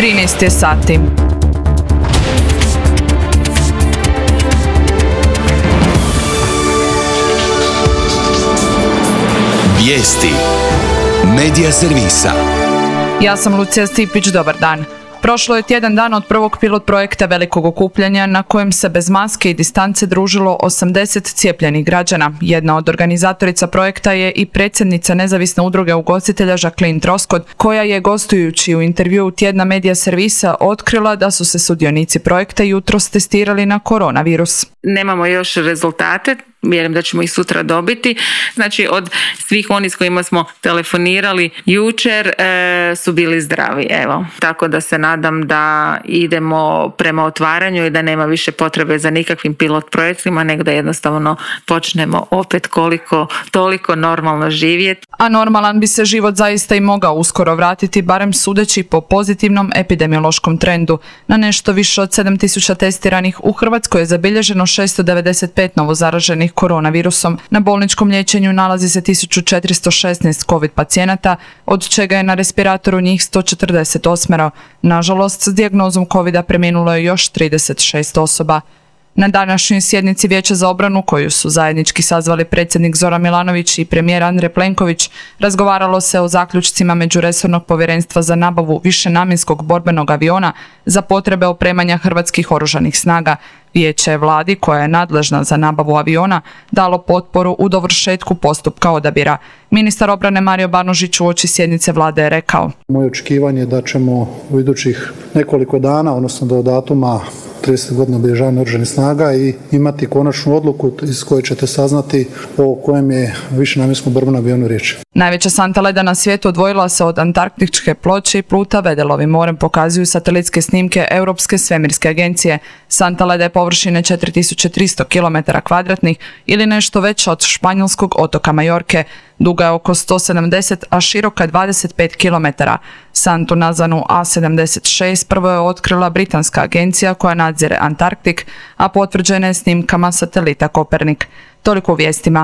13 je sati. Vijesti Medija servisa. Ja sam Lucija Stipić, dobar dan. Prošlo je tjedan dana od prvog pilot projekta velikog okupljanja na kojem se bez maske i distance družilo 80 cijepljenih građana. Jedna od organizatorica projekta je i predsjednica nezavisne udruge ugostitelja Jacqueline Troskot, koja je gostujući u intervjuu tjedna Medija servisa otkrila da su se sudionici projekta jutros testirali na koronavirus. Nemamo još rezultate, vjerujem da ćemo ih sutra dobiti. Znači od svih onih s kojima smo telefonirali jučer su bili zdravi. Evo. Tako da se nadam da idemo prema otvaranju i da nema više potrebe za nikakvim pilot projektima, nego da jednostavno počnemo opet koliko toliko normalno živjeti. A normalan bi se život zaista i mogao uskoro vratiti, barem sudeći po pozitivnom epidemiološkom trendu. Na nešto više od 7.000 testiranih u Hrvatskoj je zabilježeno 695 novozaraženih koronavirusom. Na bolničkom liječenju nalazi se 1416 COVID pacijenata, od čega je na respiratoru njih 148. Nažalost, s dijagnozom COVID-a preminulo je još 36 osoba. Na današnjoj sjednici Vijeća za obranu, koju su zajednički sazvali predsjednik Zoran Milanović i premijer Andrej Plenković, razgovaralo se o zaključcima Međuresornog povjerenstva za nabavu višenamjenskog borbenog aviona za potrebe opremanja hrvatskih oružanih snaga. Vijeće je vladi, koja je nadležna za nabavu aviona, dalo potporu u dovršetku postupka odabira. Ministar obrane Mario Banožić uoči sjednice vlade je rekao: Moje očekivanje je da ćemo u idućih nekoliko dana, odnosno do datuma 30 godina obilježavanja oružanih snaga, i imati konačnu odluku iz koje ćete saznati o kojem je višenamjenskom borbenom avionu riječ. Najveća santa leda na svijetu odvojila se od antarktičke ploče i pluta Vedelovim morem, pokazuju satelitske snimke Europske svemirske agencije. Santa leda je površine 4300 km2 ili nešto veća od španjolskog otoka Majorke. Duga je oko 170, a široka 25 km. Santu nazvanu A76 prvo je otkrila britanska agencija koja nadzire Antarktik, a potvrđena je snimkama satelita Kopernik. Toliko u vijestima.